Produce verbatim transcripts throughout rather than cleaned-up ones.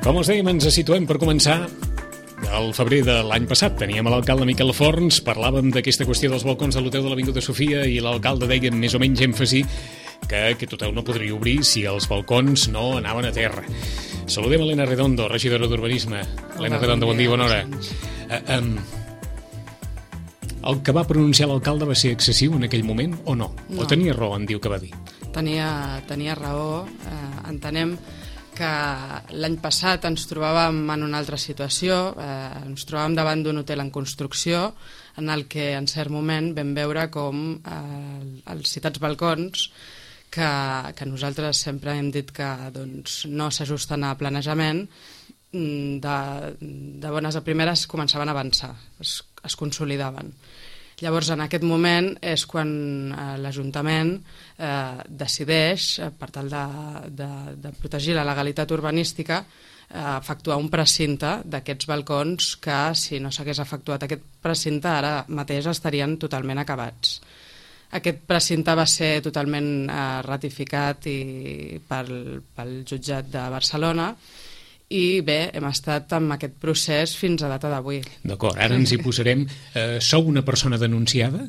Com us dèiem, ens situem per començar al febrer de l'any passat. Teníem l'alcalde Miquel Forns, parlàvem d'aquesta qüestió dels balcons de l'hotel de l'Avinguda Sofia i l'alcalde deia amb més o menys èmfasi que aquest hotel no podria obrir si els balcons no anaven a terra. Saludem a Elena Redondo, regidora d'Urbanisme. Elena Redondo, bon dia, bona hora. Uh, um, el que va pronunciar l'alcalde va ser excessiu en aquell moment o no? no. O tenia raó en dir que va dir? Tenia, tenia raó. Eh, entenem que l'any passat ens trobàvem en una altra situació, eh, ens trobàvem davant d'un hotel en construcció en el que en cert moment vam veure com eh, els citats balcons que, que nosaltres sempre hem dit que doncs, no s'ajusten a planejament, de, de bones a primeres començaven a avançar, es, es consolidaven. Llavors, en aquest moment és quan eh, l'Ajuntament eh, decideix, eh, per tal de, de, de protegir la legalitat urbanística, eh, efectuar un precinte d'aquests balcons que, si no s'hagués efectuat aquest precinte, ara mateix estarien totalment acabats. Aquest precinte va ser totalment eh, ratificat i pel, pel jutjat de Barcelona, i bé, hem estat amb aquest procés fins a data d'avui. D'acord, ara ens hi posarem. Eh, sou una persona denunciada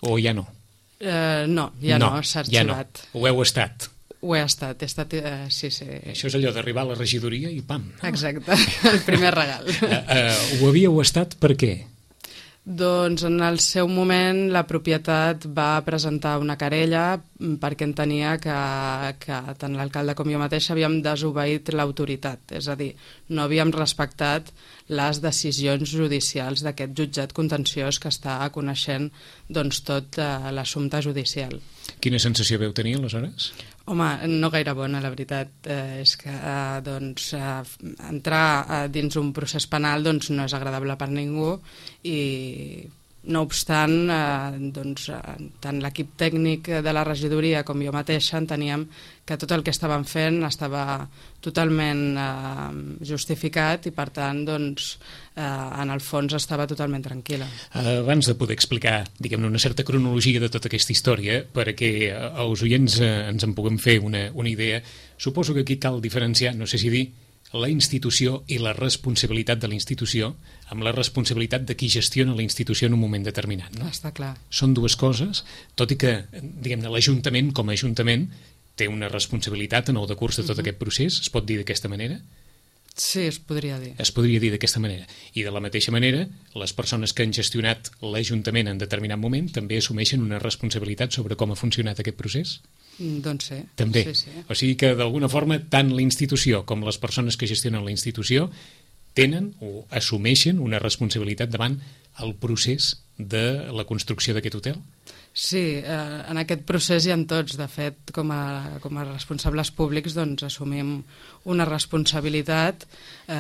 o ja no? Eh, no, ja no, no s'ha arxivat. Ja no. Ho heu estat? Ho he estat, he estat, eh, sí, sí. Això és allò d'arribar a la regidoria i pam. No? Exacte, el primer regal. eh, eh, ho havíeu estat per què? Doncs en el seu moment la propietat va presentar una querella perquè entenia que, que tant l'alcalde com jo mateix havíem desobeït l'autoritat, és a dir, no havíem respectat les decisions judicials d'aquest jutjat contenciós que està coneixent doncs, tot eh, l'assumpte judicial. Quina sensació veu tenir aleshores? Home, no gaire bona, la veritat. Eh, és que eh, doncs, eh, entrar eh, dins un procés penal doncs, no és agradable per ningú i, no obstant, eh, doncs, eh, tant l'equip tècnic de la regidoria com jo mateixa enteníem que tot el que estàvem fent estava totalment eh, justificat i, per tant, doncs, eh, en el fons estava totalment tranquil·la. Abans de poder explicar, diguem-ne, una certa cronologia de tota aquesta història, perquè els oients eh, ens en puguem fer una, una idea, suposo que aquí cal diferenciar, no sé si dir, la institució i la responsabilitat de la institució amb la responsabilitat de qui gestiona la institució en un moment determinat. No? Està clar. Són dues coses, tot i que, diguem-ne, l'Ajuntament, com a Ajuntament, té una responsabilitat en el decurs de tot uh-huh. aquest procés, es pot dir d'aquesta manera? Sí, es podria dir. Es podria dir d'aquesta manera. I de la mateixa manera, les persones que han gestionat l'Ajuntament en determinat moment també assumeixen una responsabilitat sobre com ha funcionat aquest procés? Doncs sí. També. Sí, sí. O sigui que, d'alguna forma, tant la institució com les persones que gestionen la institució tenen o assumeixen una responsabilitat davant el procés de la construcció d'aquest hotel? Sí, eh, en aquest procés hi ha tots. De fet, com a, com a responsables públics doncs, assumim una responsabilitat eh,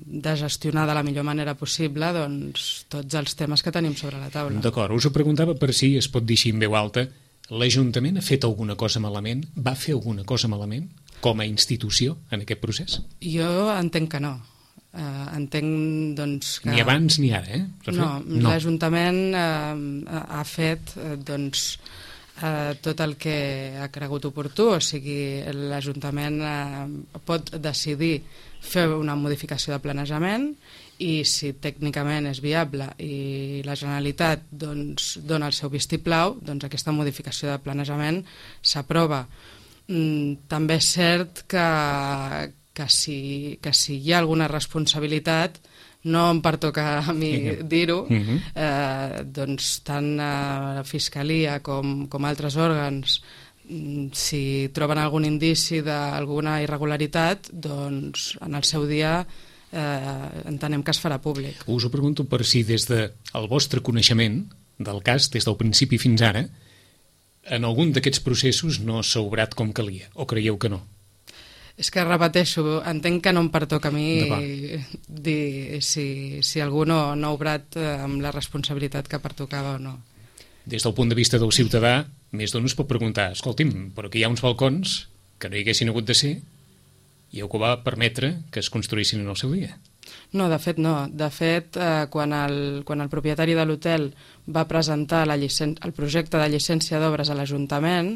de gestionar de la millor manera possible doncs, tots els temes que tenim sobre la taula. D'acord, us ho preguntava per si es pot dir així en veu alta. L'Ajuntament ha fet alguna cosa malament? Va fer alguna cosa malament com a institució en aquest procés? Jo entenc que no. Uh, entenc doncs que... Ni abans ni ara, eh? No, no. L'Ajuntament uh, ha fet uh, doncs uh, tot el que ha cregut oportú, o sigui, l'Ajuntament uh, pot decidir fer una modificació de planejament i si tècnicament és viable i la Generalitat doncs, dona el seu vistiplau, doncs aquesta modificació de planejament s'aprova. Mm, també és cert que Que si, que si hi ha alguna responsabilitat, no em pertoca a mi uh-huh. dir-ho, uh-huh. eh, doncs tant la Fiscalia com, com altres òrgans, si troben algun indici d'alguna irregularitat, doncs en el seu dia eh, entenem que es farà públic. Us ho pregunto per si des del vostre coneixement del cas, des del principi fins ara, en algun d'aquests processos no s'ha obrat com calia, o creieu que no? És que repeteixo, entenc que no em pertoca a mi dir si, si algú no, no ha obrat amb la responsabilitat que pertocava o no. Des del punt de vista del ciutadà, més d'un es pot preguntar, escolti'm, però aquí hi ha uns balcons que no hi haguessin hagut de ser i el que va permetre que es construïssin en el seu dia. No, de fet no. De fet, eh, quan, el, quan el propietari de l'hotel va presentar la licen... el projecte de llicència d'obres a l'Ajuntament,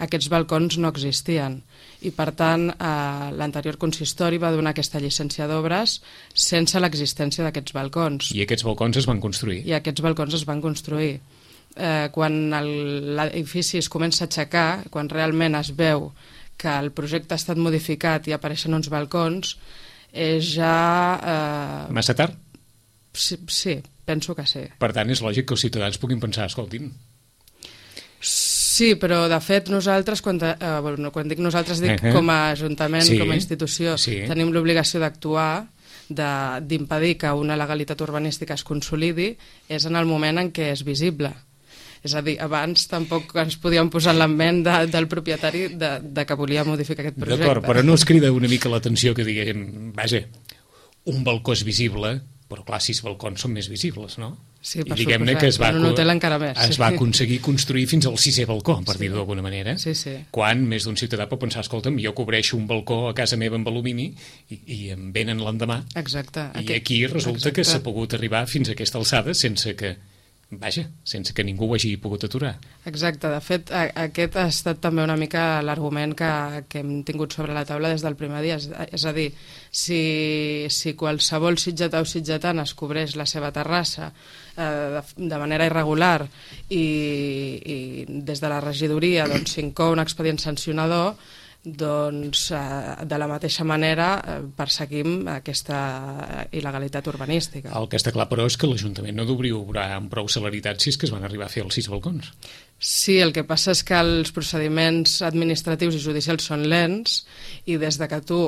aquests balcons no existien. I, per tant, eh, l'anterior consistori va donar aquesta llicència d'obres sense l'existència d'aquests balcons. I aquests balcons es van construir? I aquests balcons es van construir. Eh, quan l'edifici es comença a aixecar, quan realment es veu que el projecte ha estat modificat i apareixen uns balcons, és ja... Eh... Massa tard? Sí, sí, penso que sí. Per tant, és lògic que els ciutadans puguin pensar, escoltin... Sí, però de fet nosaltres, quan, eh, bueno, quan dic nosaltres dic uh-huh. com a Ajuntament, sí, com a institució, sí. tenim l'obligació d'actuar, d'impedir que una legalitat urbanística es consolidi, és en el moment en què és visible. És a dir, abans tampoc ens podíem posar en la ment de, del propietari de, de que volia modificar aquest projecte. D'acord, però no us crida una mica l'atenció que diguem, vaja, un balcó és visible, però clar, sis balcons són més visibles, no? Sí, per I diguem-ne que es va, en un hotel encara més. Es sí. va aconseguir construir fins al sisè balcó, per sí. dir-ho d'alguna manera, sí, sí. quan més d'un ciutadà pot pensar, escolta'm, jo cobreixo un balcó a casa meva amb alumini i, i em venen l'endemà. Exacte. I aquest... aquí resulta Exacte. que s'ha pogut arribar fins a aquesta alçada sense que... Vaja, sense que ningú ho hagi pogut aturar. Exacte, de fet a, aquest ha estat també una mica l'argument que, que hem tingut sobre la taula des del primer dia, és, és a dir, si, si qualsevol sitgetà o sitgetana es cobreix la seva terrassa eh, de, de manera irregular i, i des de la regidoria doncs, s'incou un expedient sancionador, doncs eh, de la mateixa manera eh, perseguim aquesta il·legalitat urbanística. El que està clar, però, és que l'Ajuntament no devia obrar amb prou celeritat si és que es van arribar a fer els sis balcons. Sí, el que passa és que els procediments administratius i judicials són lents i des de que tu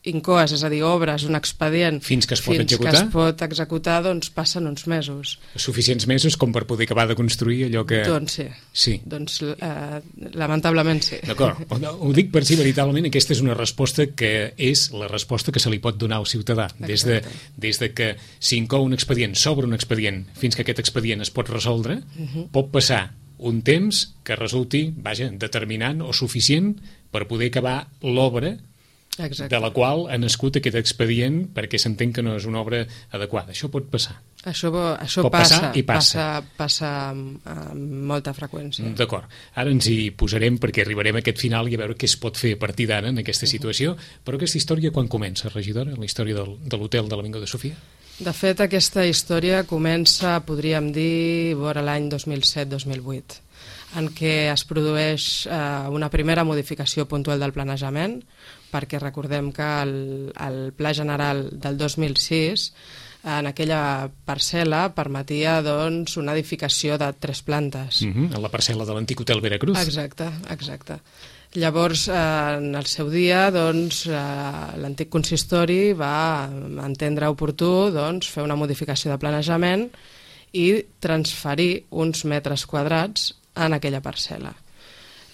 incoes, és a dir, obres un expedient fins que es pot fins executar, que es pot executar, doncs passen uns mesos. Suficients mesos com per poder acabar de construir allò que... Doncs sí. Sí. Doncs eh, lamentablement sí. D'acord. Ho dic per si veritablement aquesta és una resposta que és la resposta que se li pot donar al ciutadà. Des de, des de que s'incou un expedient, s'obre un expedient, fins que aquest expedient es pot resoldre, uh-huh. pot passar un temps que resulti, vaja, determinant o suficient per poder acabar l'obra Exacte. De la qual ha nascut aquest expedient perquè s'entén que no és una obra adequada. Això pot passar. Això, això pot passa, passar i passa. Passa, passa amb, amb molta freqüència. D'acord. Ara ens hi posarem perquè arribarem a aquest final i a veure què es pot fer a partir d'ara en aquesta situació. Però aquesta història quan comença, regidora? La història del, de l'hotel de l'Avinguda Sofia? De fet, aquesta història comença, podríem dir, vora l'any dos mil set dos mil vuit, en què es produeix eh, una primera modificació puntual del planejament, perquè recordem que el, el Pla General del dos mil sis en aquella parcel·la permetia doncs, una edificació de tres plantes. Uh-huh, en la parcel·la de l'antic hotel Veracruz. Exacte, exacte. Llavors, eh, en el seu dia, doncs, eh, l'antic consistori va entendre oportú doncs, fer una modificació de planejament i transferir uns metres quadrats en aquella parcel·la.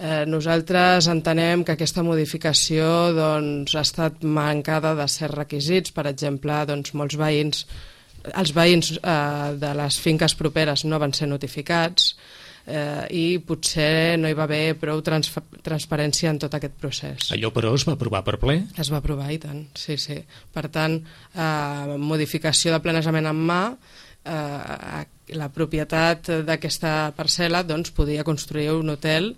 Eh, nosaltres entenem que aquesta modificació doncs, ha estat mancada de certs requisits. Per exemple, doncs, molts veïns, els veïns eh, de les finques properes no van ser notificats eh, i potser no hi va haver prou trans transparència en tot aquest procés. Allò, però, es va aprovar per ple? Es va aprovar, i tant, sí, sí. Per tant, eh, modificació de planejament en mà, eh, la propietat d'aquesta parcel·la doncs, podia construir un hotel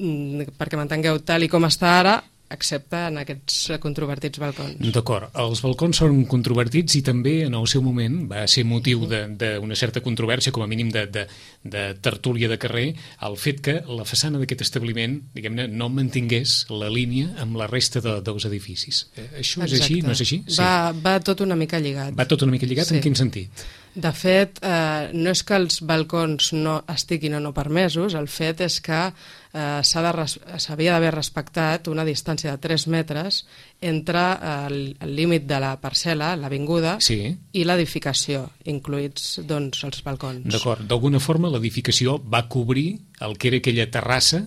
perquè m'entengueu tal i com està ara, excepte en aquests controvertits balcons. D'acord. Els balcons són controvertits i també en el seu moment va ser motiu d'una certa controvèrsia, com a mínim de, de, de tertúlia de carrer, el fet que la façana d'aquest establiment, diguem-ne, no mantingués la línia amb la resta de, dels edificis. Això és Exacte. Així? No és així? Sí. Va, va tot una mica lligat. Va tot una mica lligat? Sí. En quin sentit? De fet, eh, no és que els balcons no estiguin o no permesos, el fet és que eh, s'havia d'haver respectat una distància de tres metres entre el, el límit de la parcel·la, l'avinguda, sí. i l'edificació, incluïts doncs, els balcons. D'acord. D'alguna forma l'edificació va cobrir el que era aquella terrassa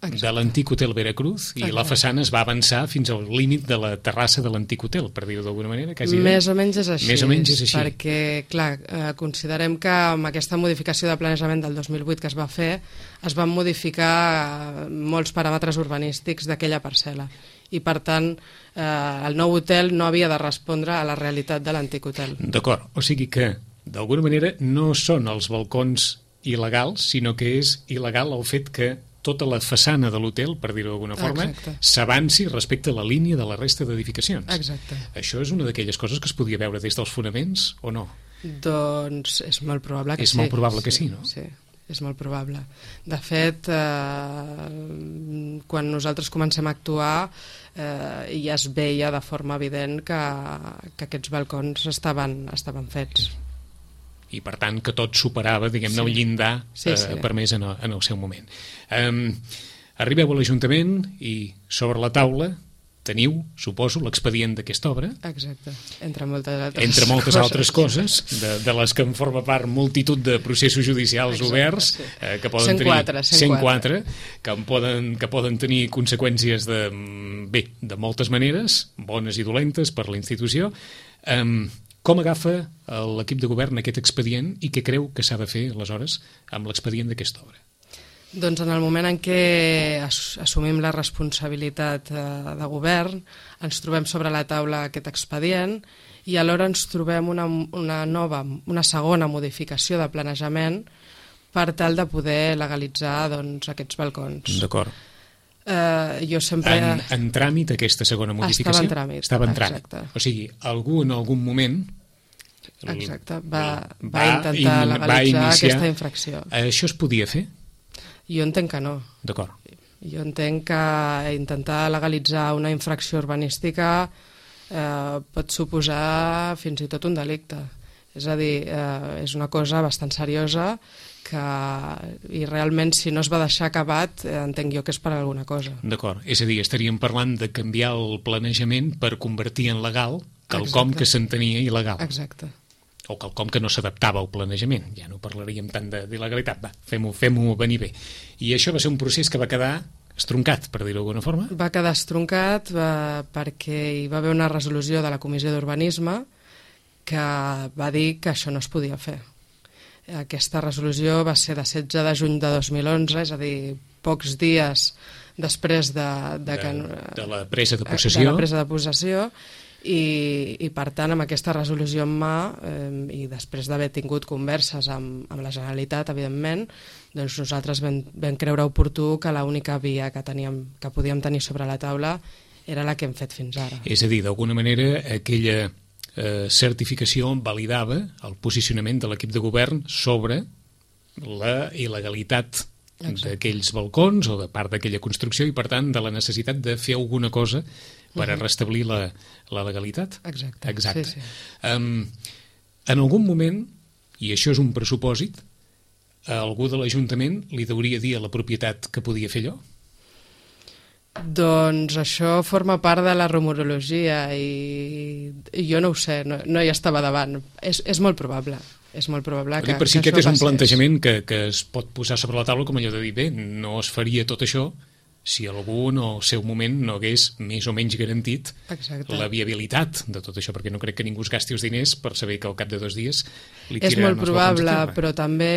Exacte. De l'antic hotel Veracruz i Exacte. La façana es va avançar fins al límit de la terrassa de l'antic hotel, per dir-ho d'alguna manera. Quasi Més o menys és així. Més o menys és així. Perquè, clar, eh, considerem que amb aquesta modificació de planejament del dos mil vuit que es va fer, es van modificar molts paràmetres urbanístics d'aquella parcel·la. i per tant eh, el nou hotel no havia de respondre a la realitat de l'antic hotel. D'acord, o sigui que d'alguna manera no són els balcons il·legals, sinó que és il·legal el fet que tota la façana de l'hotel, per dir-ho d'alguna forma, s'avanci respecte a la línia de la resta d'edificacions. Exacte. Això és una d'aquelles coses que es podia veure des dels fonaments o no? Doncs és molt probable que és sí. És molt probable que sí, no? Sí, és molt probable. De fet, eh, quan nosaltres comencem a actuar, eh, ja es veia de forma evident que, que aquests balcons estaven, estaven fets. I per tant que tot superava, diguem-ne, sí. el llindar sí, sí. Eh, permès en el, en el seu moment. Um, arribeu a l'Ajuntament i sobre la taula teniu, suposo, l'expedient d'aquesta obra. Exacte, entre moltes altres entre moltes coses. altres coses, de, de les que en forma part multitud de processos judicials Exacte, oberts, sí. eh, que poden cent quatre, tenir cent quatre, que, en poden, que poden tenir conseqüències de, bé, de moltes maneres, bones i dolentes per la institució. Um, Com agafa l'equip de govern aquest expedient i què creu que s'ha de fer, aleshores, amb l'expedient d'aquesta obra? Doncs en el moment en què assumim la responsabilitat de govern, ens trobem sobre la taula aquest expedient i alhora ens trobem una, una nova, una segona modificació de planejament per tal de poder legalitzar doncs, aquests balcons. D'acord. Uh, jo sempre... En, en tràmit aquesta segona modificació? Estava en tràmit. Estava en tràmit. Exacte. O sigui, algú en algun moment Exacte. Va, va, va intentar in, legalitzar va iniciar... aquesta infracció. Això es podia fer? Jo entenc que no. D'acord. Jo entenc que intentar legalitzar una infracció urbanística eh, pot suposar fins i tot un delicte. És a dir, eh, és una cosa bastant seriosa que, i realment si no es va deixar acabat eh, entenc jo que és per alguna cosa. D'acord, és a dir, estaríem parlant de canviar el planejament per convertir en legal quelcom Exacte. Que s'entenia il·legal. Exacte. O quelcom que no s'adaptava al planejament. Ja no parlaríem tant d'il·legalitat. Va, fem-ho fem-ho venir bé. I això va ser un procés que va quedar estroncat, per dir-ho d'alguna forma? Va quedar estroncat va, perquè hi va haver una resolució de la Comissió d'Urbanisme que va dir que això no es podia fer. Aquesta resolució va ser de setze de juny de dos mil onze, és a dir, pocs dies després de, de, que, de, de la presa de possessió, de la presa de possessió i, i per tant amb aquesta resolució en mà eh, i després d'haver tingut converses amb, amb la Generalitat, evidentment, doncs nosaltres vam, vam creure oportú que l'única via que, teníem, que podíem tenir sobre la taula era la que hem fet fins ara. És a dir, d'alguna manera aquella eh, certificació validava el posicionament de l'equip de govern sobre la il·legalitat d'aquells balcons o de part d'aquella construcció i per tant de la necessitat de fer alguna cosa per a restablir la, la legalitat. Exacte. Exacte. Sí, sí. Um, en algun moment, i això és un pressupòsit, a algú de l'Ajuntament li deuria dir a la propietat que podia fer allò? Doncs això forma part de la rumorologia i, i jo no ho sé, no, no hi estava davant. És, és molt probable. És molt probable que, per si que aquest és un passés. plantejament que, que es pot posar sobre la taula com allò de dir, bé, no es faria tot això si algú en el seu moment no hagués més o menys garantit Exacte. La viabilitat de tot això, perquè no crec que ningú es gasti els diners per saber que al cap de dos dies li és tiraran molt els probable, balcons. però també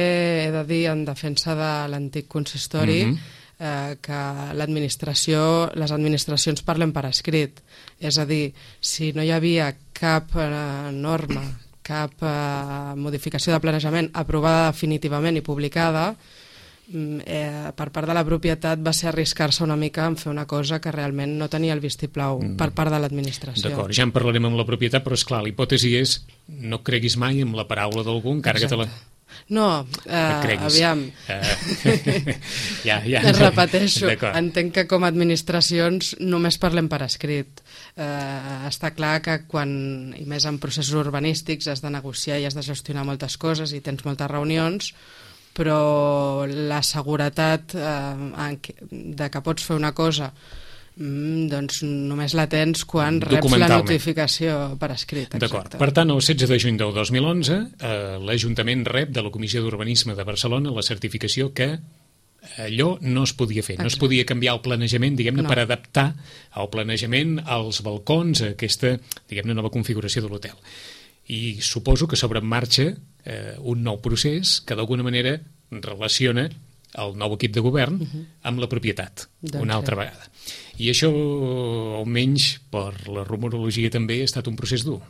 he de dir en defensa de l'antic consistori mm-hmm. eh, que l'administració, les administracions parlen per escrit, és a dir, si no hi havia cap eh, norma, cap eh, modificació de planejament aprovada definitivament i publicada, eh, per part de la propietat va ser arriscar-se una mica en fer una cosa que realment no tenia el vistiplau mm. per part de l'administració. D'acord, ja en parlarem amb la propietat, però esclar, l'hipòtesi és no creguis mai en la paraula d'algú, encara Exacte. Que te la... No, eh, aviam, uh, ja, ja. es repeteixo, entenc que com a administracions només parlem per escrit. Eh, està clar que quan, i més en processos urbanístics, has de negociar i has de gestionar moltes coses i tens moltes reunions, però la seguretat eh, de que pots fer una cosa doncs només la tens quan reps la notificació per escrit. D'acord. Per tant, el setze de juny del dos mil onze, eh, l'Ajuntament rep de la Comissió d'Urbanisme de Barcelona la certificació que allò no es podia fer. Exacte. No es podia canviar el planejament, diguem-ne, no. per adaptar el planejament als balcons, a aquesta, diguem-ne, nova configuració de l'hotel. I suposo que sobre en marxa eh, un nou procés que d'alguna manera relaciona el nou equip de govern uh -huh. amb la propietat, doncs una altra sí. vegada. I això, almenys per la rumorologia també, ha estat un procés dur.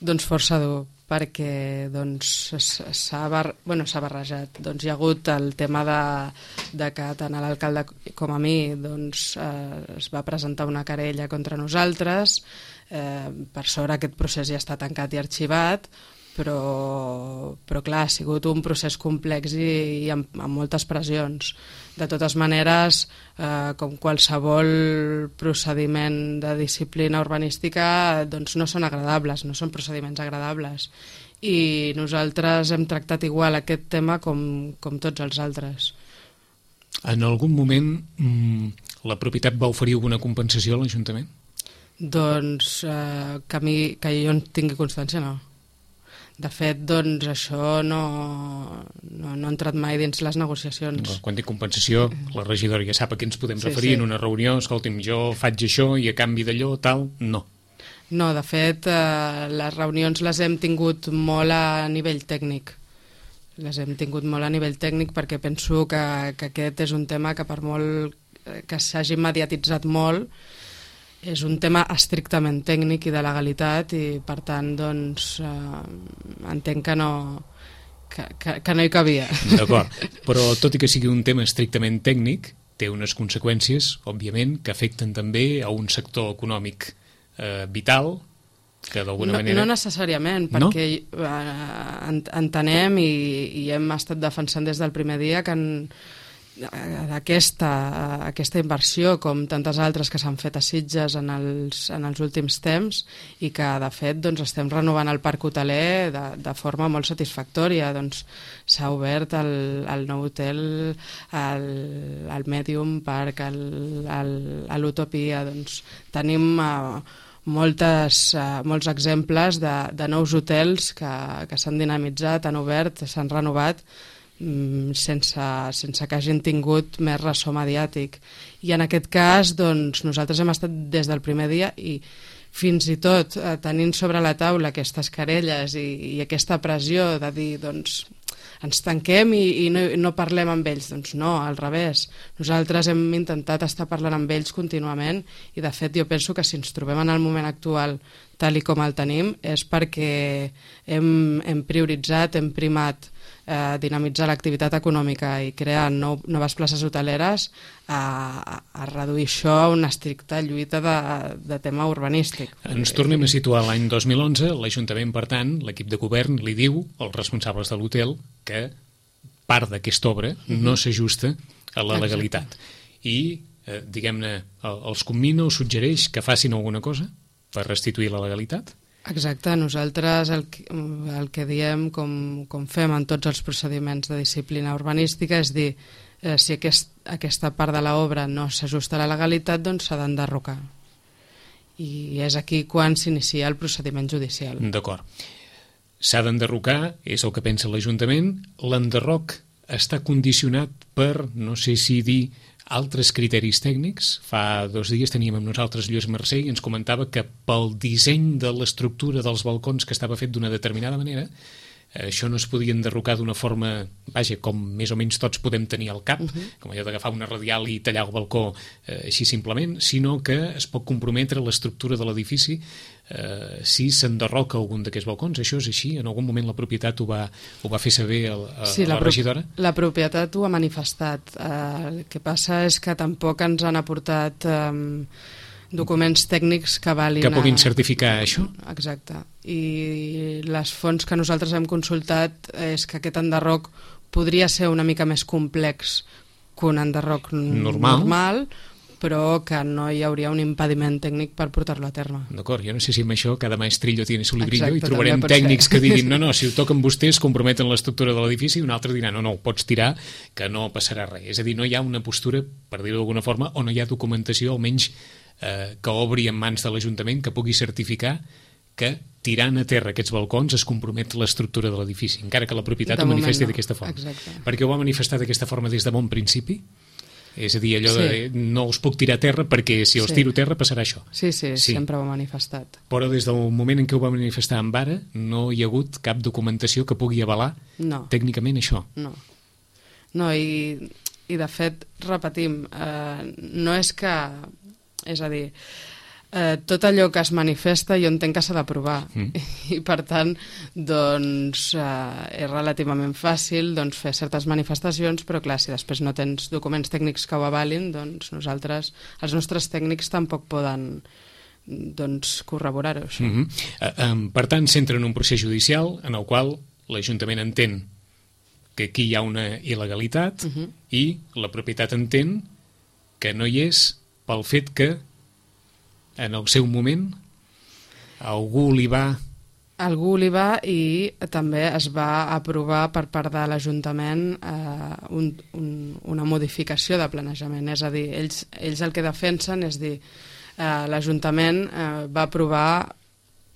Doncs força dur, perquè doncs, s'ha bar... bueno, s'ha barrejat. Doncs hi ha hagut el tema de, de que tant a l'alcalde com a mi doncs, eh, es va presentar una querella contra nosaltres. Eh, per sort aquest procés ja està tancat i arxivat, però, però clar, ha sigut un procés complex i, i amb, amb moltes pressions. De totes maneres, eh, com qualsevol procediment de disciplina urbanística, doncs no són agradables, no són procediments agradables. I nosaltres hem tractat igual aquest tema com, com tots els altres. En algun moment mmm, la propietat va oferir alguna compensació a l'Ajuntament? Doncs eh, que, a mi, que jo en tingui constància, no. De fet, doncs, això no, no, no ha entrat mai dins les negociacions. Quan dic compensació, la regidora ja sap a què ens podem sí, referir sí. en una reunió. Escolti'm, jo faig això i a canvi d'allò, tal, no. No, de fet, eh, les reunions les hem tingut molt a nivell tècnic. Les hem tingut molt a nivell tècnic perquè penso que, que aquest és un tema que per molt que s'hagi mediatitzat molt, és un tema estrictament tècnic i de legalitat i per tant doncs eh, entenc que no que, que, que no hi cabia. D'acord, però tot i que sigui un tema estrictament tècnic té unes conseqüències, òbviament, que afecten també a un sector econòmic eh, vital que d'alguna no, manera... No necessàriament, perquè no? eh, entenem i, i hem estat defensant des del primer dia que en Aquesta, aquesta inversió, com tantes altres que s'han fet a Sitges en els, en els últims temps i que, de fet, doncs, estem renovant el parc hoteler de, de forma molt satisfactòria. Doncs, s'ha obert el, el nou hotel, el, el Medium Park, l'Utopia. Doncs, tenim uh, moltes, uh, molts exemples de, de nous hotels que, que s'han dinamitzat, han obert, s'han renovat, sense, sense que hagin tingut més ressò mediàtic. I en aquest cas doncs, nosaltres hem estat des del primer dia i fins i tot eh, tenint sobre la taula aquestes querelles i, i aquesta pressió de dir doncs, ens tanquem i, i no, no parlem amb ells. Doncs no, al revés. Nosaltres hem intentat estar parlant amb ells contínuament i de fet jo penso que si ens trobem en el moment actual tal i com el tenim és perquè hem, hem prioritzat, hem primat Eh, dinamitzar l'activitat econòmica i crear nou, noves places hoteleres a, a, a reduir això a una estricta lluita de, de tema urbanístic. Ens tornem a situar l'any dos mil onze. L'Ajuntament, per tant, l'equip de govern li diu als responsables de l'hotel que part d'aquesta obra uh-huh. no s'ajusta a la legalitat. Exacte. I, eh, diguem-ne, els commina o suggereix que facin alguna cosa per restituir la legalitat? Exacte, nosaltres el que, el que diem, com, com fem en tots els procediments de disciplina urbanística, és dir, eh, si aquest, aquesta part de l'obra no s'ajusta a la legalitat, doncs s'ha d'enderrocar. I és aquí quan s'inicia el procediment judicial. D'acord. S'ha d'enderrocar, és el que pensa l'Ajuntament. L'enderroc està condicionat per, no sé si dir, altres criteris tècnics. Fa dos dies teníem amb nosaltres Lluís Mercè i ens comentava que pel disseny de l'estructura dels balcons que estava fet d'una determinada manera, eh, això no es podia enderrocar d'una forma, vaja, com més o menys tots podem tenir al cap, uh-huh. com allò d'agafar una radial i tallar el balcó eh, així simplement, sinó que es pot comprometre l'estructura de l'edifici eh, si s'enderroca algun d'aquests balcons. Això és així? En algun moment la propietat ho va, ho va fer saber a, a, sí, a la, la regidora? La propietat ho ha manifestat. Eh, el que passa és que tampoc ens han aportat eh, documents tècnics que valin... Que puguin a... certificar això? Exacte. I les fonts que nosaltres hem consultat és que aquest enderroc podria ser una mica més complex que un enderroc normal, normal però que no hi hauria un impediment tècnic per portar-lo a terme. D'acord, jo no sé si amb això cada maestrillo tiene su librillo. Exacte, i trobarem també tècnics ser. Que diguin no, no, si ho toquen vostès comprometen l'estructura de l'edifici i un altre dirà no, no, ho pots tirar que no passarà res. És a dir, no hi ha una postura, per dir-ho d'alguna forma, o no hi ha documentació, almenys eh, que obri en mans de l'Ajuntament que pugui certificar que tirant a terra aquests balcons es compromet l'estructura de l'edifici, encara que la propietat ho manifesti no. d'aquesta forma. Exacte. Perquè ho va manifestar d'aquesta forma des de bon principi? És a dir, allò sí. de no us puc tirar a terra perquè si els sí. tiro a terra passarà això. Sí, sí, sí, sempre ho ha manifestat. Però des del moment en què ho va manifestar amb ara no hi ha hagut cap documentació que pugui avalar no. tècnicament això. No. No, i, i de fet, repetim, eh, no és que... És a dir, eh, tot allò que es manifesta jo entenc que s'ha d'aprovar. Mm. I, per tant, doncs, eh, és relativament fàcil doncs, fer certes manifestacions, però clar, si després no tens documents tècnics que ho avalin, doncs nosaltres, els nostres tècnics tampoc poden doncs, corroborar-ho, això. Mm-hmm. uh, um, per tant, s'entra en un procés judicial en el qual l'Ajuntament entén que aquí hi ha una il·legalitat uh-huh. i la propietat entén que no hi és pel fet que en el seu moment algú li va... Algú li va i també es va aprovar per part de l'Ajuntament eh, un, un, una modificació de planejament. És a dir, ells, ells el que defensen és dir, eh, l'Ajuntament eh, va aprovar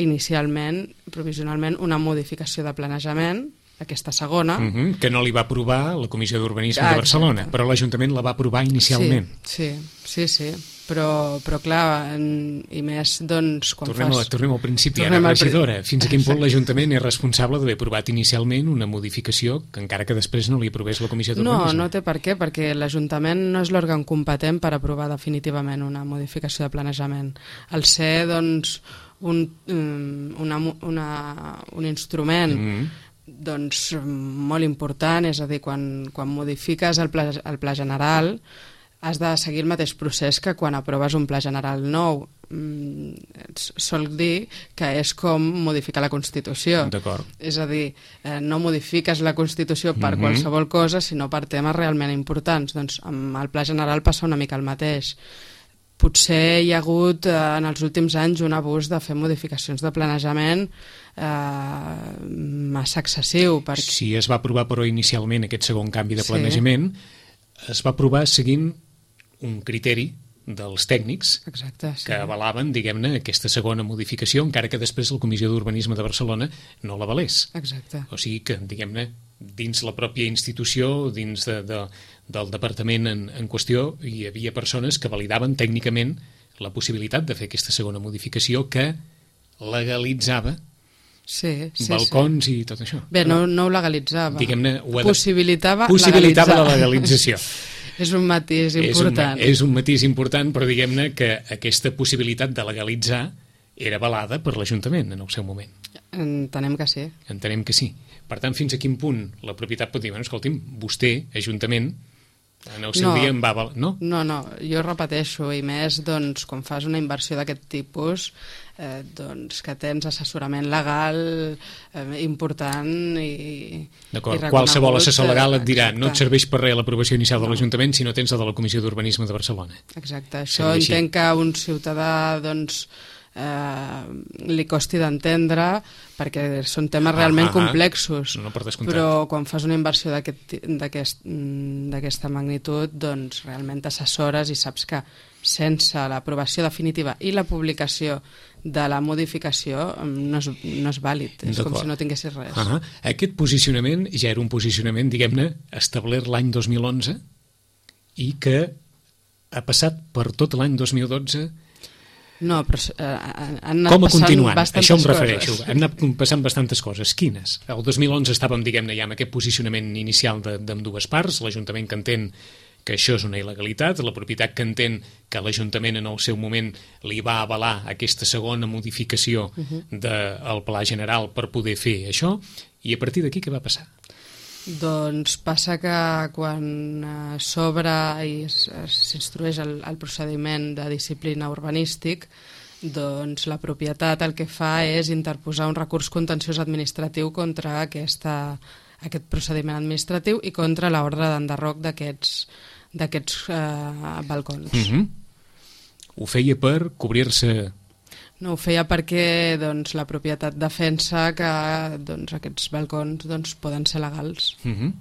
inicialment, provisionalment, una modificació de planejament, aquesta segona. Uh-huh, que no li va aprovar la Comissió d'Urbanisme ah, de Barcelona, exacte. Però l'Ajuntament la va aprovar inicialment. Sí, sí, sí, sí. Però, però clar, en, i més, doncs... Quan tornem, fas... a, tornem al principi, ara, regidora. Fins a quin punt l'Ajuntament és responsable d'haver aprovat inicialment una modificació que encara que després no li aprovés la Comissió d'Urbanisme? No, no té per què, perquè l'Ajuntament no és l'òrgan competent per aprovar definitivament una modificació de planejament. Al ser, doncs, un, una, una, un instrument... Mm-hmm. doncs molt important, és a dir, quan, quan modifiques el pla, el pla general has de seguir el mateix procés que quan aproves un pla general nou. Mm, sol dir que és com modificar la Constitució. D'acord. És a dir, eh, no modifiques la Constitució per mm-hmm. qualsevol cosa, sinó per temes realment importants. Doncs amb el pla general passa una mica el mateix. Potser hi ha hagut eh, en els últims anys un abús de fer modificacions de planejament eh, massa excessiu. Perquè... Si es va aprovar però inicialment aquest segon canvi de planejament, sí. es va aprovar seguint un criteri dels tècnics Exacte, sí. que avalaven, diguem-ne, aquesta segona modificació, encara que després la Comissió d'Urbanisme de Barcelona no l'avalés. Exacte. O sigui que, diguem-ne, dins la pròpia institució, dins de, de, del departament en, en qüestió, hi havia persones que validaven tècnicament la possibilitat de fer aquesta segona modificació que legalitzava sí, sí, balcons sí. i tot això. Bé, no, no ho legalitzava. Diguem-ne, ho de... possibilitava, possibilitava legalitzar. la legalització. És un matís important. És un, és un matís important, però diguem-ne que aquesta possibilitat de legalitzar era avalada per l'Ajuntament en el seu moment. Entenem que sí. Entenem que sí. Per tant, fins a quin punt la propietat pot dir, bueno, escolti'm, vostè, Ajuntament, en el seu no, dia em va avalar... No? No, no, jo repeteixo, i més, doncs, quan fas una inversió d'aquest tipus, eh, doncs, que tens assessorament legal eh, important i D'acord, qualsevol assessor legal et dirà exacte. No et serveix per res l'aprovació inicial de l'Ajuntament si no tens la de la Comissió d'Urbanisme de Barcelona. Exacte, això entenc que un ciutadà, doncs, eh, li costi d'entendre perquè són temes realment ah, ah, complexos, no però quan fas una inversió d'aquesta magnitud, doncs realment t'assessores i saps que sense l'aprovació definitiva i la publicació de la modificació no és, no és vàlid, és com si no tinguessis res. Uh-huh. Aquest posicionament ja era un posicionament, diguem-ne, establert l'any dos mil onze i que ha passat per tot l'any dos mil dotze. No, però eh, han anat Com a passant continuant? bastantes Això em refereixo. coses. Han anat passant bastantes coses. Quines? El dos mil onze estàvem, diguem-ne, ja amb aquest posicionament inicial d'ambdues parts, l'Ajuntament que entén que això és una il·legalitat, la propietat que entén que l'Ajuntament en el seu moment li va avalar aquesta segona modificació uh-huh. del pla general per poder fer això, i a partir d'aquí què va passar? Doncs passa que quan s'obre i s'instrueix el, el procediment de disciplina urbanístic, doncs la propietat el que fa és interposar un recurs contenciós administratiu contra aquesta, aquest procediment administratiu i contra l'ordre d'enderroc d'aquests d'aquests eh, balcons. Uh-huh. Ho feia per cobrir-se... No, ho feia perquè doncs, la propietat defensa que doncs, aquests balcons doncs, poden ser legals. Uh-huh.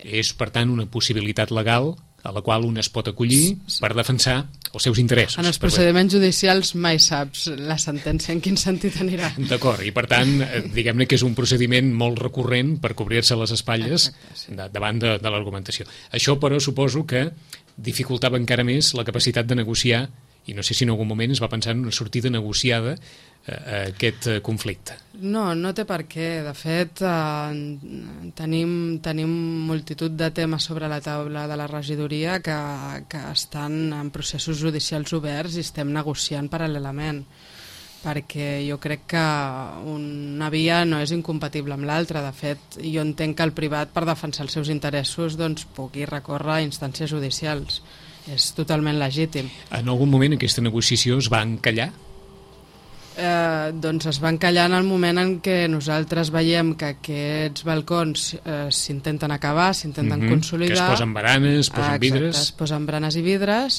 És, per tant, una possibilitat legal a la qual un es pot acollir per defensar els seus interessos. En els procediments judicials mai saps la sentència en quin sentit anirà. D'acord, i per tant, diguem-ne que és un procediment molt recurrent per cobrir-se les espatlles Exacte, sí. de, davant de, de l'argumentació. Això, però, suposo que dificultava encara més la capacitat de negociar I no sé si en algun moment es va pensar en una sortida negociada a aquest conflicte. No, no té per què. De fet, eh, tenim, tenim multitud de temes sobre la taula de la regidoria que, que estan en processos judicials oberts i estem negociant paral·lelament, perquè jo crec que una via no és incompatible amb l'altra. De fet, jo entenc que el privat, per defensar els seus interessos, doncs, pugui recórrer a instàncies judicials. És totalment legítim. En algun moment aquesta negociació es va encallar? Eh, doncs es va encallar en el moment en què nosaltres veiem que aquests balcons eh, s'intenten acabar, s'intenten mm-hmm. consolidar. Que es posen baranes, es posen Exacte, vidres. es posen baranes i vidres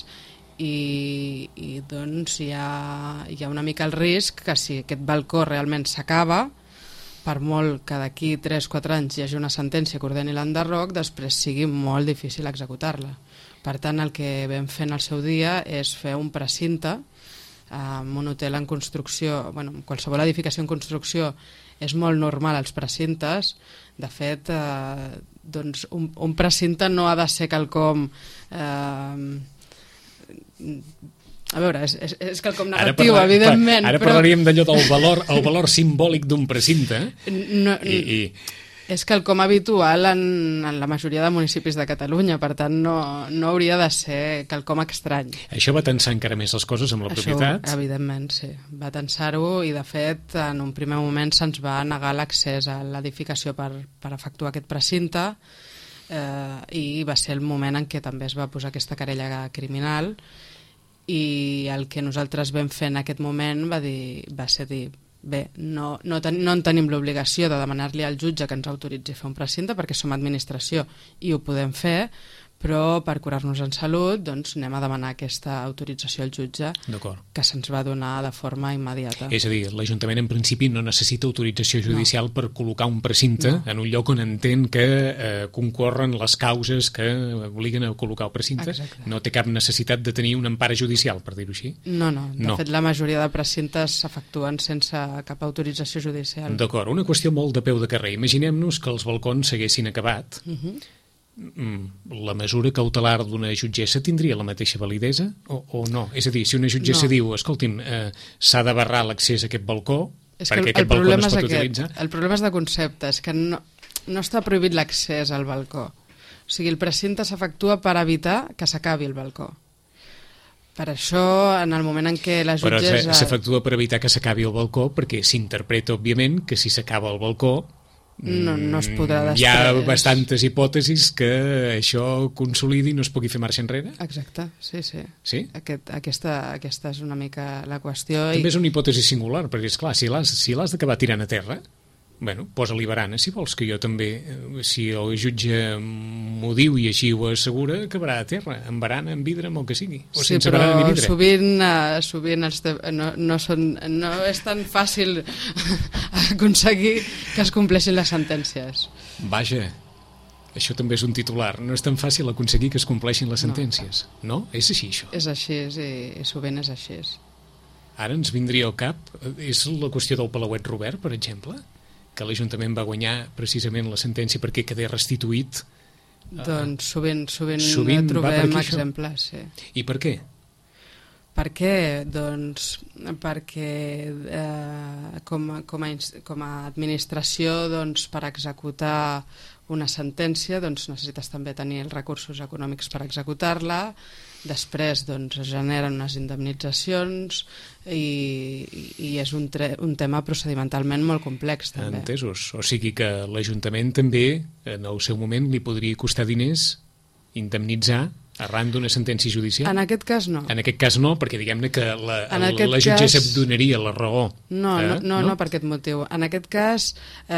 i, i doncs hi ha, hi ha una mica el risc que si aquest balcó realment s'acaba, per molt que d'aquí tres quatre anys hi hagi una sentència que ordeni l'enderroc, després sigui molt difícil executar-la. Per tant, el que vam fer en el seu dia és fer un precinte amb un hotel en construcció. Bueno, qualsevol edificació en construcció és molt normal als precintes. De fet, eh, doncs un, un precinte no ha de ser quelcom... Eh, a veure, és, és, és quelcom negatiu, ara parla, evidentment. Ara però... parlaríem d'allò del valor, el valor simbòlic d'un precinte. No, I, i... És quelcom habitual en, en la majoria de municipis de Catalunya, per tant no, no hauria de ser quelcom estrany. Això va tensar encara més les coses amb la Això, propietat? Evidentment, sí. Va tensar-ho i, de fet, en un primer moment se'ns va negar l'accés a l'edificació per, per efectuar aquest precinte eh, i va ser el moment en què també es va posar aquesta querella criminal i el que nosaltres vam fer en aquest moment va, dir, va ser dir bé, no, no, ten, no en tenim l'obligació de demanar-li al jutge que ens autoritzi a fer un precinte perquè som administració i ho podem fer, però per curar-nos en salut doncs anem a demanar aquesta autorització al jutge que se'ns va donar de forma immediata. És a dir, l'Ajuntament en principi no necessita autorització judicial no. per col·locar un precinte no. en un lloc on entén que eh, concorren les causes que obliguen a col·locar el precinte. Exacte. No té cap necessitat de tenir una empara judicial, per dir-ho així? No, no. De no. fet, la majoria de precintes s'efectuen sense cap autorització judicial. D'acord. Una qüestió molt de peu de carrer. Imaginem-nos que els balcons s'haguessin acabat. Uh-huh. La mesura cautelar d'una jutgessa tindria la mateixa validesa o, o no? És a dir, si una jutgessa no. diu escolti'm, eh, s'ha de barrar l'accés a aquest balcó és perquè el, aquest el balcó no es pot aquest. utilitzar... El problema és de concepte, és que no, no està prohibit l'accés al balcó. O sigui, el precinte s'efectua per evitar que s'acabi el balcó. Per això, en el moment en què la jutgessa... Però s'efectua per evitar que s'acabi el balcó perquè s'interpreta, òbviament, que si s'acaba el balcó no, no es podrà després... Hi ha bastantes hipòtesis que això consolidi i no es pugui fer marxa enrere? Exacte, sí, sí. Sí? Aquest, aquesta, aquesta és una mica la qüestió. També i... és una hipòtesi singular, perquè, esclar, si l'has si l'has d'acabar tirant a terra, bueno, posa-li barana, si vols, que jo també, si el jutge m'ho diu i així ho assegura, acabarà a terra, amb barana, amb vidre, amb el que sigui, o sí, sense barana ni vidre. Sí, però sovint, uh, sovint els te... no, no, són, no és tan fàcil aconseguir que es compleixin les sentències. Vaja, això també és un titular. No és tan fàcil aconseguir que es compleixin les sentències. No? no? És així, això? És així, i, i sovint és així. Ara ens vindria al cap, és la qüestió del Palauet Robert, per exemple, que l'Ajuntament va guanyar precisament la sentència perquè quedés restituït. Doncs sovint, sovint, sovint trobem exemples, sí. I per què? Per què? Doncs perquè eh, com, a, com, a, com a administració doncs, per executar una sentència doncs, necessites també tenir els recursos econòmics per executar-la. Després doncs, es generen unes indemnitzacions i, i és un, tre, un tema procedimentalment molt complex també. Entesos. O sigui que l'Ajuntament també en el seu moment li podria costar diners indemnitzar arran d'una sentència judicial? En aquest cas no. En aquest cas no, perquè diguem-ne que la, la jutgessa cas... donaria la raó. No, eh? no, no, no, per aquest motiu. En aquest cas, eh,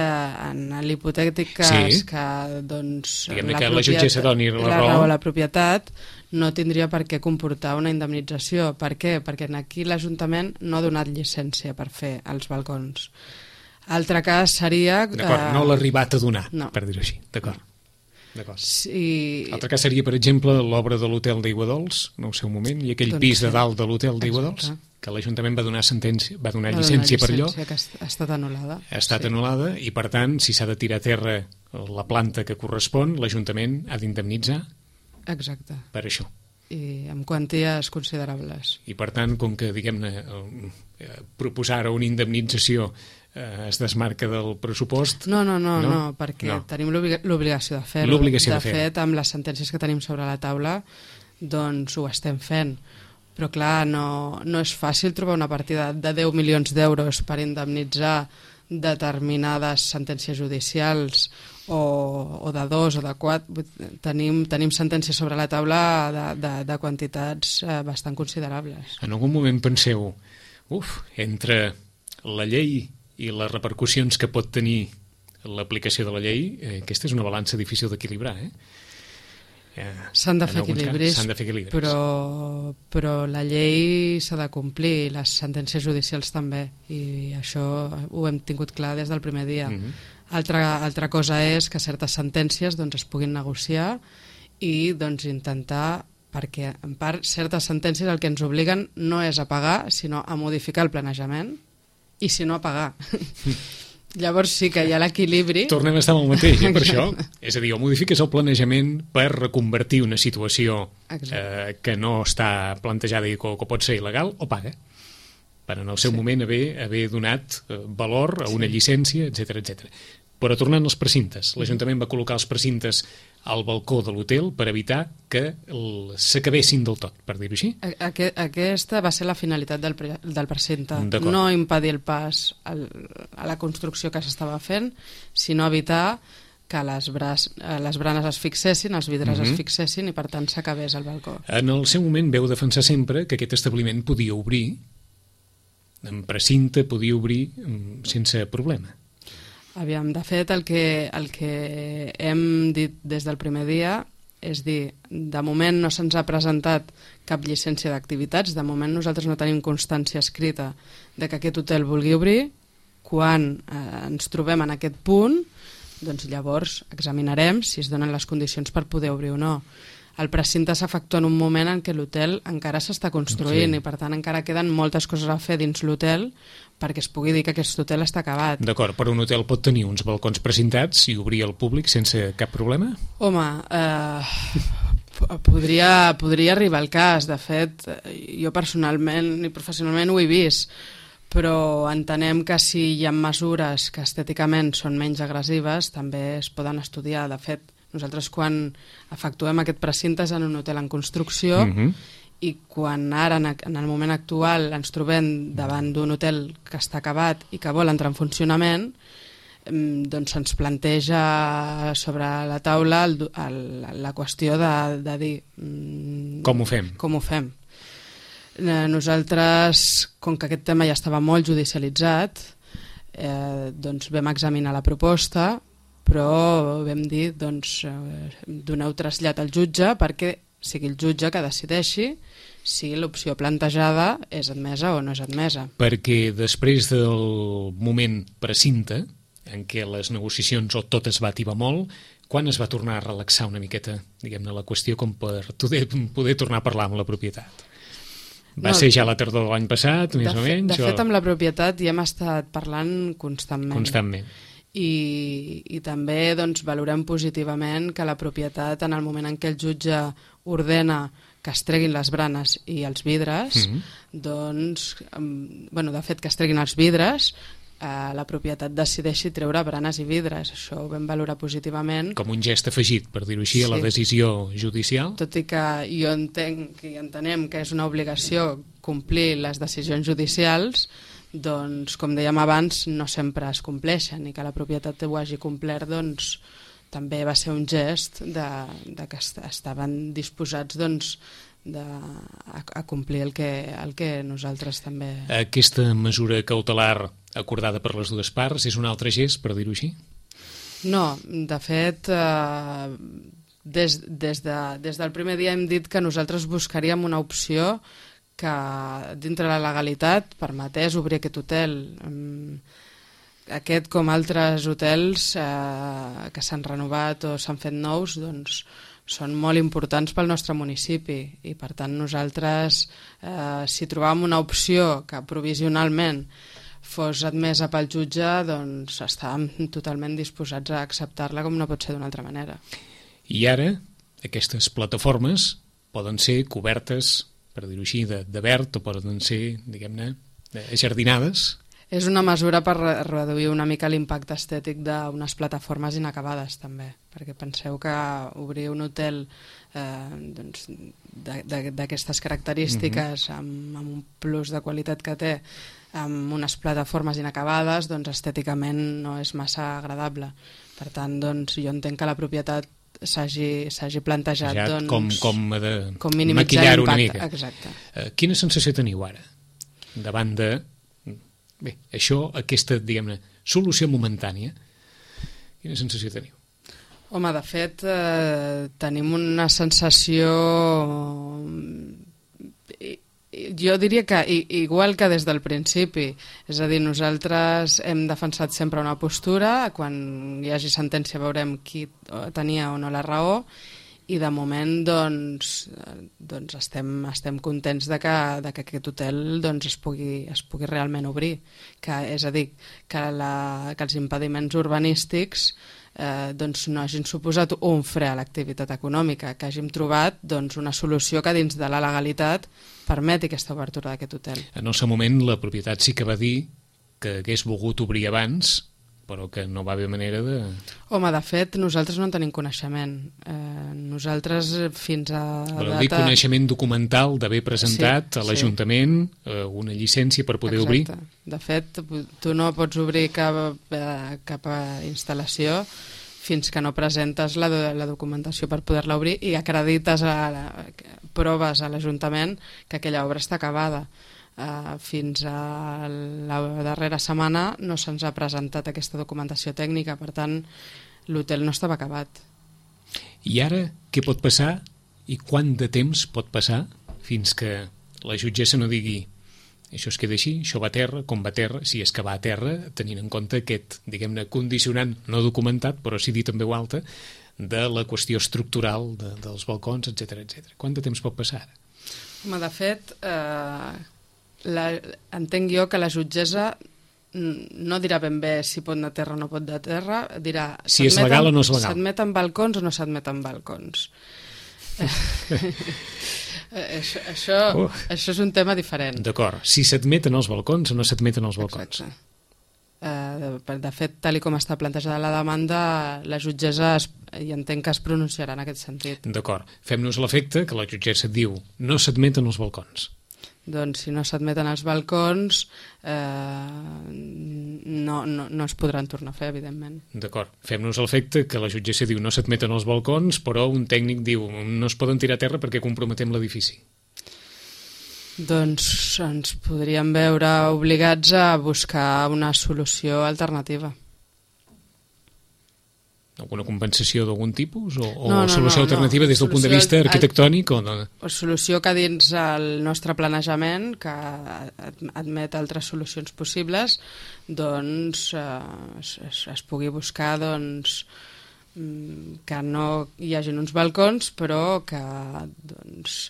en l'hipotètic cas sí. que doncs, diguem-ne que la jutgessa doni la, la raó, raó a la propietat no tindria per què comportar una indemnització. Per què? Perquè aquí l'Ajuntament no ha donat llicència per fer els balcons. Altre cas seria... D'acord, eh... no l'ha arribat a donar, no. per dir-ho així. D'acord. Sí. L'altre cas seria, per exemple, l'obra de l'hotel d'Aiguadols, en el seu moment, i aquell doncs pis de dalt de l'hotel d'Aiguadols, que l'Ajuntament va donar sentència, va donar va llicència, donar llicència per allò. Que ha estat anul·lada. Ha estat sí. anul·lada, i per tant, si s'ha de tirar a terra la planta que correspon, l'Ajuntament ha d'indemnitzar Exacte. per això. i amb quanties considerables. I per tant, com que, diguem-ne, proposar una indemnització eh, es desmarca del pressupost... No, no, no, no, no perquè no. tenim l'obligació de fer-ho. L'obligació de de fer. fet, amb les sentències que tenim sobre la taula, doncs ho estem fent. Però clar, no, no és fàcil trobar una partida de deu milions d'euros per indemnitzar determinades sentències judicials o, o de dos o de quatre. Tenim, tenim sentències sobre la taula de, de, de quantitats eh, bastant considerables. En algun moment penseu, uf, entre la llei i les repercussions que pot tenir l'aplicació de la llei, eh, aquesta és una balança difícil d'equilibrar, eh? S'han de, fer equilibris, de fer equilibris, però, però la llei s'ha de complir, les sentències judicials també, i això ho hem tingut clar des del primer dia. Mm-hmm. Altra, altra cosa és que certes sentències doncs, es puguin negociar i doncs, intentar, perquè en part certes sentències el que ens obliguen no és a pagar, sinó a modificar el planejament, i si no a pagar. Llavors sí que hi ha l'equilibri. Tornem a estar amb el mateix, eh, per això. És a dir, o modifiques el planejament per reconvertir una situació eh, que no està plantejada i que, que pot ser il·legal, o paga. Per en el seu sí. moment haver, haver donat eh, valor a una sí. llicència, etcètera, etcètera. Però tornant als precintes, l'Ajuntament va col·locar els precintes al balcó de l'hotel per evitar que s'acabessin del tot, per dir-ho així. Aqu aquesta va ser la finalitat del, pre del precinte, no impedir el pas al, a la construcció que s'estava fent, sinó evitar que les, bras, les branes es fixessin, els vidres mm-hmm. es fixessin i per tant s'acabés el balcó. En el seu moment veu defensar sempre que aquest establiment podia obrir, en precinte podia obrir sense problema. Aviam, de fet, el que, el que hem dit des del primer dia és dir, de moment no se'ns ha presentat cap llicència d'activitats, de moment nosaltres no tenim constància escrita de que aquest hotel vulgui obrir. Quan eh, ens trobem en aquest punt, doncs llavors examinarem si es donen les condicions per poder obrir o no. El precinte s'efectua en un moment en què l'hotel encara s'està construint sí. i per tant encara queden moltes coses a fer dins l'hotel perquè es pugui dir que aquest hotel està acabat. D'acord, però un hotel pot tenir uns balcons precintats i obrir al públic sense cap problema? Home, eh, podria, podria arribar al cas. De fet, jo personalment i professionalment ho he vist, però entenem que si hi ha mesures que estèticament són menys agressives també es poden estudiar. De fet, nosaltres quan efectuem aquest precinte és en un hotel en construcció mm-hmm. i quan ara en el moment actual ens trobem davant d'un hotel que està acabat i que vol entrar en funcionament, doncs se'ns planteja sobre la taula el, el, la qüestió de, de dir com ho fem? Com ho fem. Nosaltres, com que aquest tema ja estava molt judicialitzat, eh, doncs vam examinar la proposta, però vam dir, doncs, eh, doneu trasllat al jutge perquè sigui el jutge que decideixi si l'opció plantejada és admesa o no és admesa. Perquè després del moment precinte, en què les negociacions o tot es va ativar molt, quan es va tornar a relaxar una miqueta, diguem-ne, la qüestió com per poder, poder tornar a parlar amb la propietat? Va no, ser ja la tardor de l'any passat, més o menys? De fet, o... amb la propietat ja hem estat parlant constantment. Constantment. I, i també doncs, valorem positivament que la propietat, en el moment en què el jutge ordena que es treguin les branes i els vidres, mm-hmm. doncs, bueno, de fet que es treguin els vidres, eh, la propietat decideixi treure branes i vidres. Això ho vam valorar positivament. Com un gest afegit, per dir-ho així, sí. a la decisió judicial? Tot i que jo entenc i entenem que és una obligació complir les decisions judicials, doncs, com dèiem abans, no sempre es compleixen i que la propietat ho hagi complert, doncs, també va ser un gest de, de que estaven disposats doncs, de, a, a complir el que, el que nosaltres també... Aquesta mesura cautelar acordada per les dues parts és un altre gest, per dir-ho així? No, de fet, eh, des, des, de, des del primer dia hem dit que nosaltres buscaríem una opció que dintre la legalitat permetés obrir aquest hotel. Aquest, com altres hotels eh, que s'han renovat o s'han fet nous, doncs són molt importants pel nostre municipi i per tant nosaltres, eh, si trobàvem una opció que provisionalment fos admesa pel jutge, doncs estàvem totalment disposats a acceptar-la com no pot ser d'una altra manera. I ara, aquestes plataformes poden ser cobertes, per dir-ho així, de, de verd, o poden ser, diguem-ne, jardinades. És una mesura per reduir una mica l'impacte estètic d'unes plataformes inacabades, també, perquè penseu que obrir un hotel eh, doncs, d'aquestes característiques, mm-hmm. amb, amb un plus de qualitat que té, amb unes plataformes inacabades, doncs estèticament no és massa agradable. Per tant, doncs, jo entenc que la propietat s'hagi plantejat ja, doncs, com, com, de, com minimitzar maquillar una l'impacte. mica. Exacte. Uh, quina sensació teniu ara davant de bé, això, aquesta, diguem-ne, solució momentània? Quina sensació teniu? Home, de fet, eh, tenim una sensació... Jo diria que igual que des del principi, és a dir, nosaltres hem defensat sempre una postura, quan hi hagi sentència veurem qui tenia o no la raó, i de moment doncs, doncs estem, estem contents de que, de que aquest hotel doncs, es, pugui, es pugui realment obrir, que, és a dir, que, la, que els impediments urbanístics eh, doncs, no hagin suposat un fre a l'activitat econòmica, que hàgim trobat doncs, una solució que dins de la legalitat permeti aquesta obertura d'aquest hotel. En el seu moment la propietat sí que va dir que hagués volgut obrir abans, però que no va haver manera de... Home, de fet, nosaltres no en tenim coneixement. Eh, nosaltres fins a Voleu data... dir coneixement documental d'haver presentat sí, a l'Ajuntament sí. eh, una llicència per poder Exacte. obrir? De fet, tu no pots obrir cap, eh, cap instal·lació fins que no presentes la, la documentació per poder-la obrir i acredites a la, proves a l'Ajuntament que aquella obra està acabada. Uh, fins a la darrera setmana no se'ns ha presentat aquesta documentació tècnica, per tant l'hotel no estava acabat. I ara què pot passar i quant de temps pot passar fins que la jutgessa no digui això es queda així, això va a terra, com va a terra, si és que va a terra, tenint en compte aquest, diguem-ne, condicionant no documentat, però sí dit en veu alta, de la qüestió estructural de, dels balcons, etcètera, etcètera. Quant de temps pot passar ara? Home, de fet, eh, la, entenc jo que la jutgessa no dirà ben bé si pot anar a terra o no pot anar a terra, dirà si és legal o no és legal. S'admeten balcons o no s'admeten balcons. això, això, uh. això és un tema diferent. D'acord, si s'admeten els balcons o no s'admeten els balcons. Exacte. Uh, de, de fet, tal com està plantejada la demanda, la jutgessa es, i entenc que es pronunciarà en aquest sentit. D'acord, fem-nos l'efecte que la jutgessa diu no s'admeten els balcons. Doncs si no s'admeten els balcons eh, no, no, no es podran tornar a fer, evidentment. D'acord, fem-nos l'efecte que la jutgessa diu no s'admeten els balcons, però un tècnic diu no es poden tirar a terra perquè comprometem l'edifici. Doncs ens podríem veure obligats a buscar una solució alternativa. Alguna compensació d'algun tipus? O, o no, no, solució no, alternativa no. des del punt de vista arquitectònic? O no? Solució que dins el nostre planejament, que admet altres solucions possibles, doncs eh, es, es, es pugui buscar doncs, que no hi hagin uns balcons, però que doncs,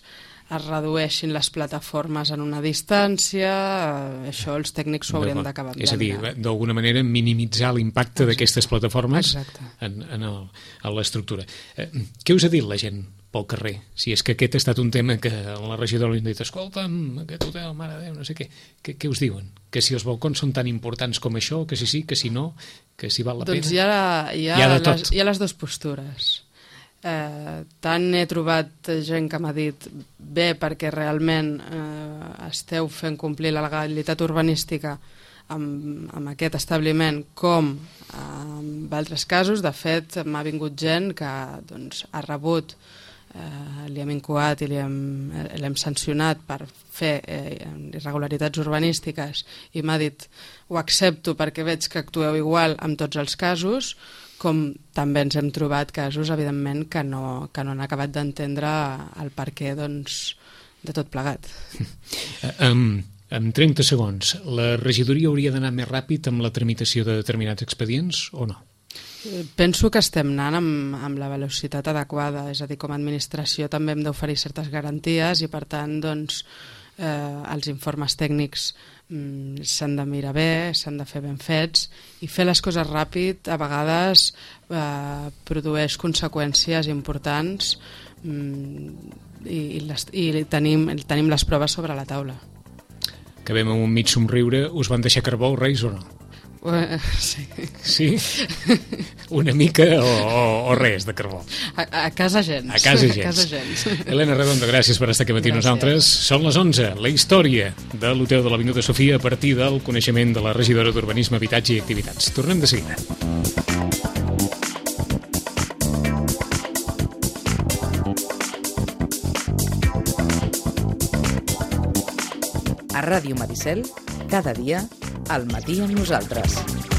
es redueixin les plataformes en una distància, eh, això els tècnics ho haurien d'acabar de És a dir, mirar. d'alguna manera minimitzar l'impacte d'aquestes plataformes Exacte. en, en, el, en l'estructura. Eh, què us ha dit la gent pel carrer? Si és que aquest ha estat un tema que la regidora li ha dit, escolta'm, aquest hotel, mare de Déu, no sé què. Què, què us diuen? Que si els balcons són tan importants com això, que si sí, que si no, que si val la doncs pena? Doncs hi ha, hi, ha hi, ha les, hi ha les dues postures. Eh, tant he trobat gent que m'ha dit bé perquè realment eh, esteu fent complir la legalitat urbanística amb, amb aquest establiment com en altres casos. De fet m'ha vingut gent que doncs, ha rebut eh, li hem incoat i li hem, l'hem sancionat per fer eh, irregularitats urbanístiques i m'ha dit ho accepto perquè veig que actueu igual en tots els casos, com també ens hem trobat casos, evidentment, que no, que no han acabat d'entendre el perquè doncs, de tot plegat. Um, en trenta segons, la regidoria hauria d'anar més ràpid amb la tramitació de determinats expedients o no? Penso que estem anant amb, amb la velocitat adequada, és a dir, com a administració també hem d'oferir certes garanties i, per tant, doncs, eh, els informes tècnics mm, s'han de mirar bé, s'han de fer ben fets i fer les coses ràpid a vegades eh, produeix conseqüències importants i, i, les, i tenim, tenim les proves sobre la taula. Que vam amb un mig somriure, us van deixar carbó els Reis o no? Uh, sí. Sí? Una mica o, o, o res de carbó? A, a casa gens. A casa gens. A casa gens. Helena Redondo, gràcies per estar aquí matí nosaltres. Són les onze, la història de l'Hotel de l'Avinguda Sofia a partir del coneixement de la regidora d'Urbanisme, Habitatge i Activitats. Tornem de seguida. A Ràdio Maricel, cada dia, al matí amb nosaltres.